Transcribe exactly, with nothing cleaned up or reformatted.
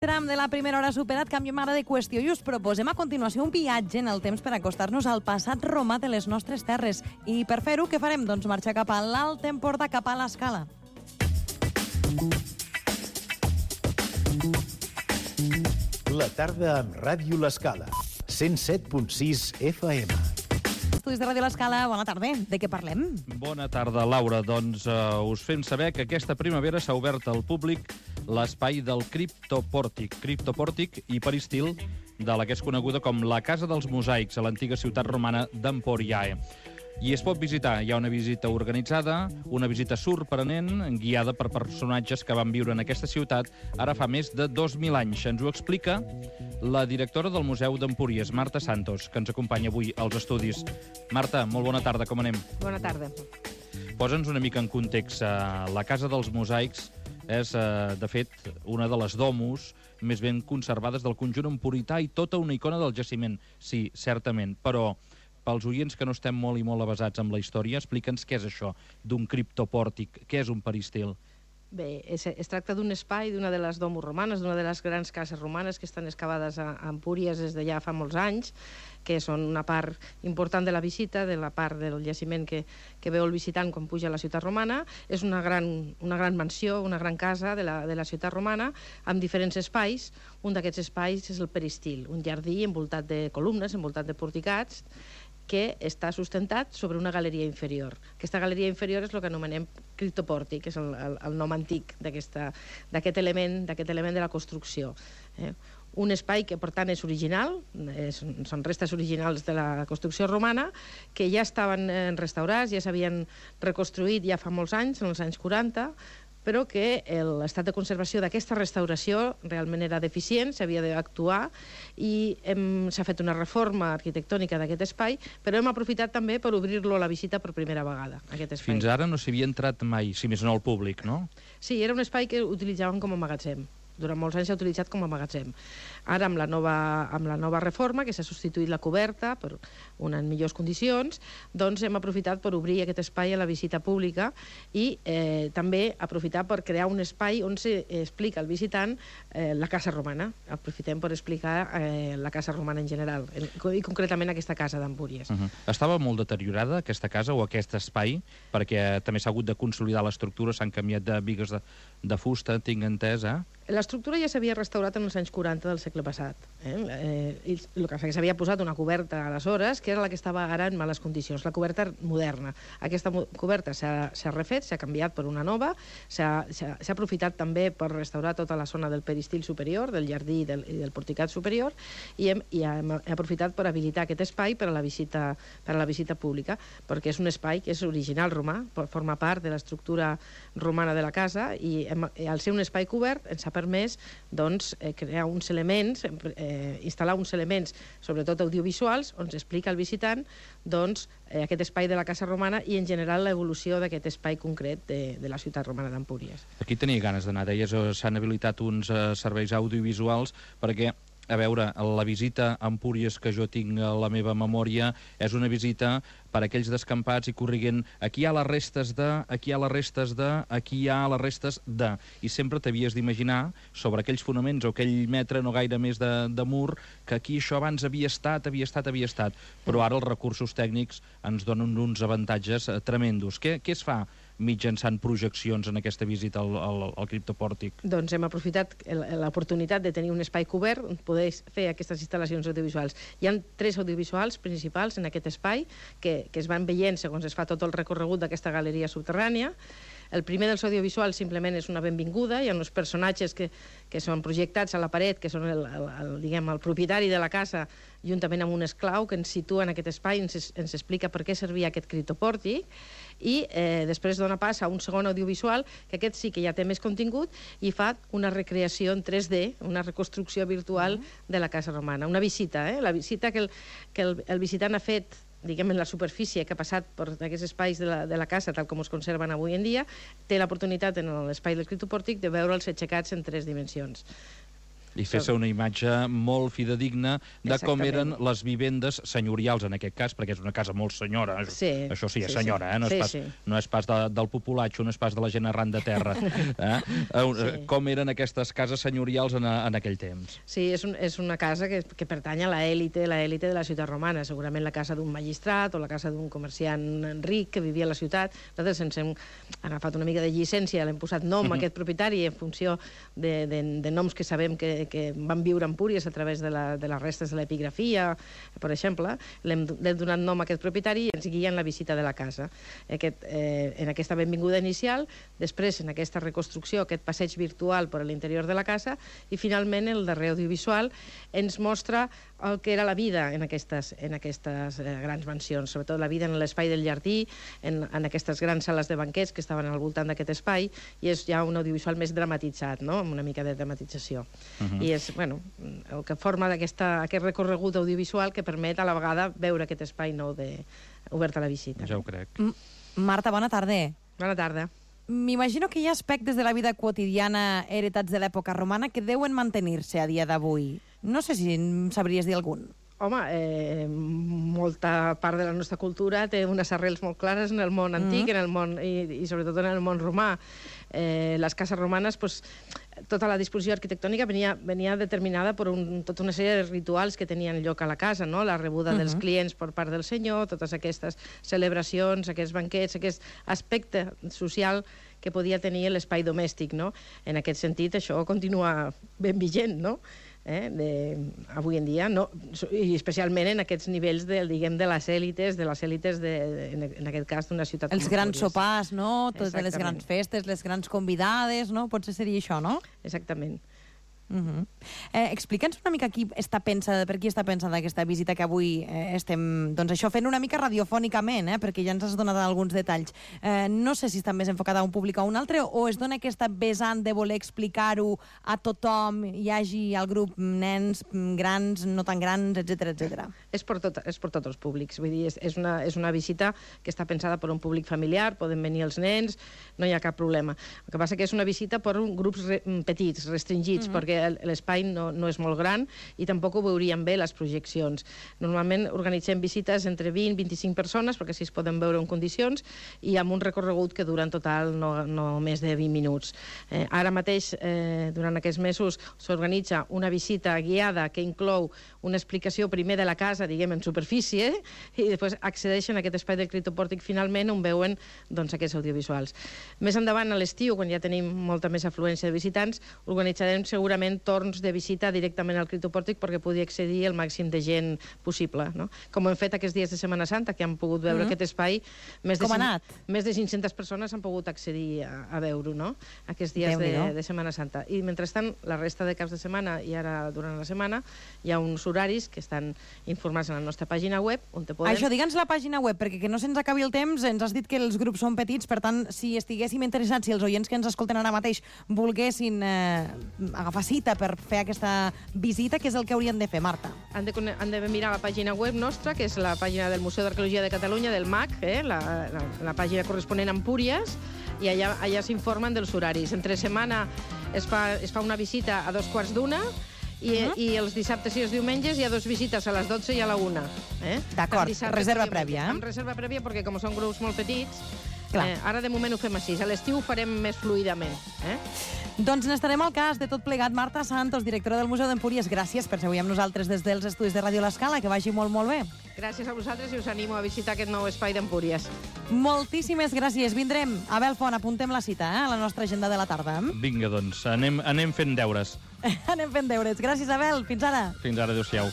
Tram de la primera hora superat, canviem ara de qüestió i us proposem a continuació un viatge en el temps per acostar-nos al passat romà de les nostres terres. I per fer-ho, què farem? Doncs marxar cap a l'Alt Empordà, cap a l'Escala. La tarda amb Ràdio L'Escala, cent set punt sis F M. Estudis de Ràdio L'Escala, bona tarda. De què parlem? Bona tarda, Laura. Doncs uh, us fem saber que aquesta primavera s'ha obert al públic l'espai del criptopòrtic, criptopòrtic i peristil de la que és coneguda com la Casa dels Mosaics, a l'antiga ciutat romana d'Emporiae. I es pot visitar. Hi ha una visita organitzada, una visita sorprenent, guiada per personatges que van viure en aquesta ciutat ara fa més de dos mil anys. Ens ho explica la directora del Museu d'Empúries, Marta Santos, que ens acompanya avui als estudis. Marta, molt bona tarda, com anem? Bona tarda. Posa'ns una mica en context. La Casa dels Mosaics és, de fet, una de les domus més ben conservades del conjunt emporità i tota una icona del jaciment. Sí, certament, però pels oients que no estem molt i molt avesats amb la història, explica'ns què és això d'un criptopòrtic, què és un peristil. Bé, es, es tracta d'un espai d'una de les domus romanes, d'una de les grans cases romanes que estan excavades a, a Empúries des de ja fa molts anys, que són una part important de la visita, de la part del jaciment que, que veu el visitant quan puja a la ciutat romana. És una gran, una gran mansió, una gran casa de la, de la ciutat romana, amb diferents espais. Un d'aquests espais és el peristil, un jardí envoltat de columnes, envoltat de porticats, que està sustentat sobre una galeria inferior. Aquesta galeria inferior és el que anomenem criptopòrtic, que és el, el, el nom antic d'aquest element, d'aquest element de la construcció. Eh? Un espai que, per tant, és original, és, són restes originals de la construcció romana, que ja estaven restaurats, ja s'havien reconstruït ja fa molts anys, en els anys quaranta, però que l'estat de conservació d'aquesta restauració realment era deficient, s'havia d'actuar i s'ha fet una reforma arquitectònica d'aquest espai, però hem aprofitat també per obrir-lo a la visita per primera vegada, aquest espai. Fins ara no s'hi havia entrat mai, si més no al públic, no? Sí, era un espai que utilitzaven com a magatzem. Durant molts anys s'ha utilitzat com a magatzem. Ara, amb la nova, amb la nova reforma, que s'ha substituït la coberta per una en millors condicions, doncs hem aprofitat per obrir aquest espai a la visita pública i eh, també aprofitar per crear un espai on s'explica al visitant eh, la casa romana. Aprofitem per explicar eh, la casa romana en general, i concretament aquesta casa d'Empúries. Uh-huh. Estava molt deteriorada aquesta casa o aquest espai, perquè també s'ha hagut de consolidar l'estructura, s'han canviat de bigues de, de fusta, tinc entès, eh? L'estructura ja s'havia restaurat en els anys quaranta del segle passat. Eh? Eh, i el que s'havia posat una coberta aleshores, que era la que estava ara en males condicions, la coberta moderna. Aquesta coberta s'ha refet, s'ha canviat per una nova, s'ha aprofitat també per restaurar tota la zona del peristil superior, del jardí i del, i del porticat superior, i hem, i hem aprofitat per habilitar aquest espai per a la visita, per a la visita pública, perquè és un espai que és original romà, forma part de l'estructura romana de la casa, i hem, al ser un espai cobert ens ha permès doncs, eh, crear uns elements, eh, instal·lar uns elements, sobretot audiovisuals, on s'explica al visitant doncs, eh, aquest espai de la casa romana i en general l'evolució d'aquest espai concret de, de la ciutat romana d'Empúries. Aquí tenia ganes d'anar, deies, s'han habilitat uns eh, serveis audiovisuals perquè, a veure, la visita a Empúries que jo tinc a la meva memòria és una visita per a aquells descampats i corriguent aquí hi ha les restes de, aquí hi ha les restes de, aquí hi ha les restes de. I sempre t'havies d'imaginar sobre aquells fonaments o aquell metre no gaire més de, de mur que aquí això abans havia estat, havia estat, havia estat. Però ara els recursos tècnics ens donen uns avantatges eh, tremendos. Què, què es fa mitjançant projeccions en aquesta visita al, al, al criptopòrtic? Doncs hem aprofitat l'oportunitat de tenir un espai cobert on poder fer aquestes instal·lacions audiovisuals. Hi ha tres audiovisuals principals en aquest espai que, que es van veient segons es fa tot el recorregut d'aquesta galeria subterrània. El primer dels audiovisuals simplement és una benvinguda, hi ha uns personatges que, que són projectats a la paret, que són el, el, el, diguem, el propietari de la casa, juntament amb un esclau que ens situa en aquest espai, ens, ens explica per què servia aquest criptopòrtic, i eh, després dona pas a un segon audiovisual, que aquest sí que ja té més contingut, i fa una recreació en tres D, una reconstrucció virtual de la casa romana. Una visita, eh? La visita que el, que el, el visitant ha fet, diguem, en la superfície que ha passat per aquests espais de la, de la casa, tal com es conserven avui en dia, té l'oportunitat en l'espai del criptopòrtic de veure els aixecats en tres dimensions. I fer-se una imatge molt fidedigna de com eren les vivendes senyorials, en aquest cas, perquè és una casa molt senyora. Sí, això sí, és sí, senyora, sí. eh? No, Sí, és pas, sí. no és pas de, del populatxo, no és pas de la gent arran de terra. Eh? Sí. Com eren aquestes cases senyorials en, en aquell temps? Sí, és, un, és una casa que, que pertany a l'élite, l'élite de la ciutat romana, segurament la casa d'un magistrat o la casa d'un comerciant ric que vivia a la ciutat. Nosaltres ens hem agafat una mica de llicència, l'hem posat nom a aquest propietari en funció de, de, de noms que sabem que, que van viure a Empúries a través de, la, de les restes de l'epigrafia, per exemple. L'hem donat nom a aquest propietari i ens guia en la visita de la casa. Aquest, eh, en aquesta benvinguda inicial, després en aquesta reconstrucció, aquest passeig virtual per l'interior de la casa, i finalment el darrer audiovisual ens mostra el que era la vida en aquestes, en aquestes eh, grans mansions, sobretot la vida en l'espai del jardí, en, en aquestes grans sales de banquets que estaven al voltant d'aquest espai, i és ja un audiovisual més dramatitzat, no? Amb una mica de dramatització. Uh -huh. I és, bueno, el que forma aquest recorregut audiovisual que permet a la vegada veure aquest espai nou de, obert a la visita. Ja ho crec. M Marta, bona tarda. Bona tarda. M'imagino que hi ha aspectes de la vida quotidiana heretats de l'època romana que deuen mantenir-se a dia d'avui. No sé si en sabries dir algun. Home, eh, molta part de la nostra cultura té unes arrels molt clares en el món antic, mm. en el món, i, i sobretot en el món romà. Eh, les cases romanes, pues, tota la disposició arquitectònica venia, venia determinada per un, tota una sèrie de rituals que tenien lloc a la casa, no? La rebuda uh -huh. dels clients per part del senyor, totes aquestes celebracions, aquests banquets, aquest aspecte social que podia tenir l'espai domèstic, no? En aquest sentit, això continua ben vigent, no? Eh, de, avui en dia, no, i especialment en aquests nivells de, diguem, de les èlites, de les èlites, de, en, en aquest cas, d'una ciutat... Els grans sopars, no? Totes les Exactament. grans festes, les grans convidades, no? Potser seria això, no? Exactament. Uh -huh. eh, Explica'ns una mica qui està pensada, per qui està pensada aquesta visita que avui eh, estem, doncs això, fent una mica radiofònicament, eh, perquè ja ens has donat alguns detalls. Eh, no sé si està més enfocada a un públic o a un altre, o es dona aquesta vessant de voler explicar-ho a tothom, hi hagi al grup nens, grans, no tan grans, etcètera, etcètera. És per, tot, és per tots els públics, vull dir, és, és, una, és una visita que està pensada per un públic familiar, poden venir els nens, no hi ha cap problema. El que passa que és una visita per grups re, petits, restringits, uh -huh. perquè l'espai no, no és molt gran i tampoc ho veuríem bé les projeccions. Normalment organitzem visites entre vint i vint-i-cinc persones, perquè així es poden veure en condicions, i amb un recorregut que dura en total no, no més de vint minuts. Eh, ara mateix, eh, durant aquests mesos, s'organitza una visita guiada que inclou una explicació primer de la casa, diguem, en superfície, i després accedeixen a aquest espai del criptopòrtic finalment on veuen, doncs, aquests audiovisuals. Més endavant, a l'estiu, quan ja tenim molta més afluència de visitants, organitzarem segurament torns de visita directament al criptopòrtic perquè pugui accedir el màxim de gent possible, no? Com hem fet aquests dies de Setmana Santa, que han pogut veure mm -hmm. aquest espai, més de, Com ha anat? més de cinc-centes persones han pogut accedir a, a veure-ho, no? Aquests dies de, de Setmana Santa. I mentrestant, la resta de caps de setmana i ara durant la setmana hi ha uns horaris que estan informats a la nostra pàgina web, on te podem... Això, digue'ns la pàgina web, perquè que no se'ns acabi el temps, ens has dit que els grups són petits, per tant, si estiguéssim interessats, si els oients que ens escolten ara mateix volguessin eh, agafar cita per fer aquesta visita, què és el que haurien de fer, Marta? Han de, han de mirar la pàgina web nostra, que és la pàgina del Museu d'Arqueologia de Catalunya, del M A C, eh, la, la, la pàgina corresponent a Empúries, i allà, allà s'informen dels horaris. Entre setmana es fa, es fa una visita a dos quarts d'una, i, uh -huh. i els dissabtes i els diumenges hi ha dos visites, a les dotze i a la una. Eh? D'acord, reserva prèvia. Eh? Amb reserva prèvia, perquè com són grups molt petits, eh, ara de moment ho fem així. A l'estiu ho farem més fluidament. Eh? Doncs n'estarem al cas de tot plegat. Marta Santos, directora del Museu d'Empúries, gràcies per ser avui amb nosaltres des dels estudis de Ràdio L'Escala, que vagi molt, molt bé. Gràcies a vosaltres i us animo a visitar aquest nou espai d'Empúries. Moltíssimes gràcies. Vindrem. Abel Font, apuntem la cita, eh, a la nostra agenda de la tarda. Vinga, doncs, anem, anem fent deures. Anem fent deures. Gràcies, Abel. Fins ara. Fins ara, adéu-siau.